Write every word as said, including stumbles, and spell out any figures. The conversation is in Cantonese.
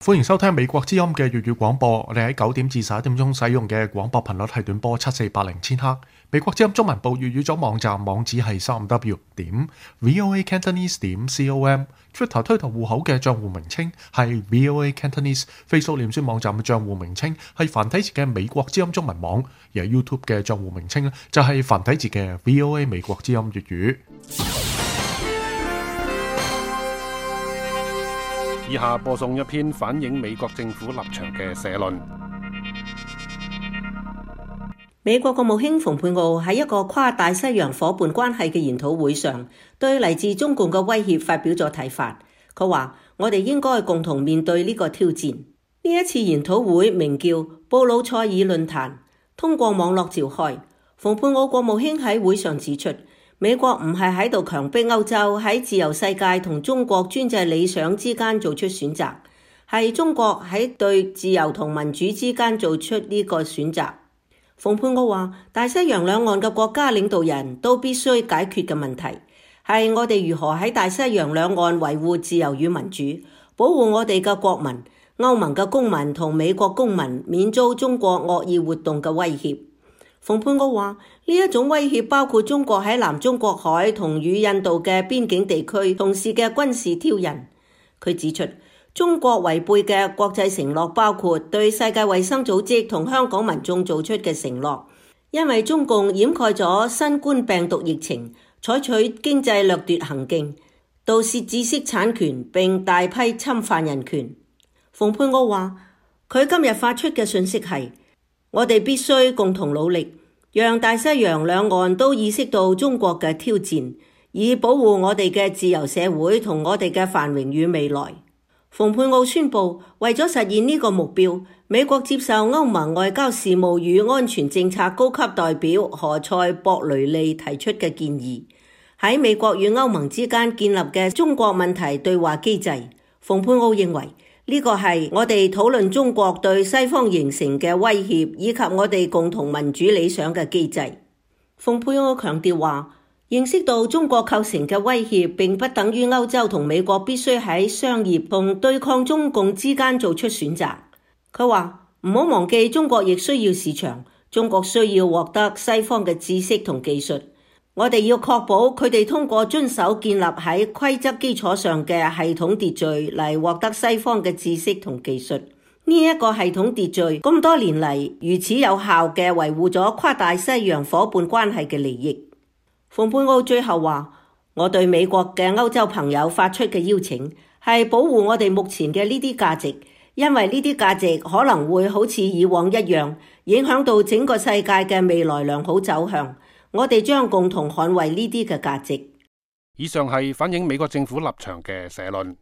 歡迎收聽美國之音嘅粵語廣播。我哋喺九點至十一點鐘使用嘅廣播頻率係短波七四八零千赫。美國之音中文部粵語組網站網址係三 w 點 voa cantonese 點 com。Twitter 推特戶口嘅賬戶名稱係 voa cantonese。Facebook 臉書網站嘅賬戶名稱係繁體字嘅美國之音中文網，而 YouTube 嘅賬戶名稱咧就係繁體字嘅 voa 美國之音粵語。以下播送一篇反映美國政府立場嘅社論。美國國務卿蓬佩奧喺一個跨大西洋夥伴關係嘅研討會上，對嚟自中共嘅威脅發表咗睇法。佢話：我哋應該共同面對呢個挑戰。呢一次研討會名叫布魯塞爾論壇，通過網絡召開。蓬佩奧國務卿喺會上指出，美國唔係喺度強迫歐洲喺自由世界同中國專制理想之間做出選擇，係中國喺對自由同民主之間做出呢個選擇。蓬佩奧話：大西洋兩岸嘅國家領導人都必須解決嘅問題，係我哋如何喺大西洋兩岸維護自由與民主，保護我哋嘅國民、歐盟嘅公民同美國公民免遭中國惡意活動嘅威脅。蓬佩奧話：呢一種威脅包括中國喺南中國海同與印度嘅邊境地區從事嘅軍事挑釁。佢指出，中國違背嘅國際承諾包括對世界衛生組織同香港民眾做出嘅承諾，因為中共掩蓋咗新冠病毒疫情，採取經濟掠奪行徑，盜竊知識產權並大批侵犯人權。蓬佩奧話：佢今日發出嘅訊息係：我哋必須共同努力，讓大西洋兩岸都意識到中國嘅挑戰，以保護我哋嘅自由社會同我哋嘅繁榮與未來。蓬佩奧宣布，為咗實現呢個目標，美國接受歐盟外交事務與安全政策高級代表何塞博雷利提出嘅建議，喺美國與歐盟之間建立嘅中國問題對話機制。蓬佩奧認為，呢個係我哋討論中國對西方形成嘅威脅，以及我哋共同民主理想嘅機制。蓬佩奧強調話，認識到中國構成嘅威脅，並不等於歐洲同美國必須喺商業同對抗中共之間做出選擇。佢話唔好忘記，中國亦需要市場，中國需要獲得西方嘅知識同技術。我哋要確保佢哋通過遵守建立喺規則基礎上嘅系統秩序嚟獲得西方嘅知識同技術。呢一個系統秩序咁多年嚟如此有效嘅維護咗跨大西洋夥伴關係嘅利益。蓬佩奧最後話：我對美國嘅歐洲朋友發出嘅邀請係保護我哋目前嘅呢啲價值，因為呢啲價值可能會好似以往一樣影響到整個世界嘅未來良好走向。我哋將共同捍衛呢啲嘅價值。以上係反映美國政府立場嘅社論。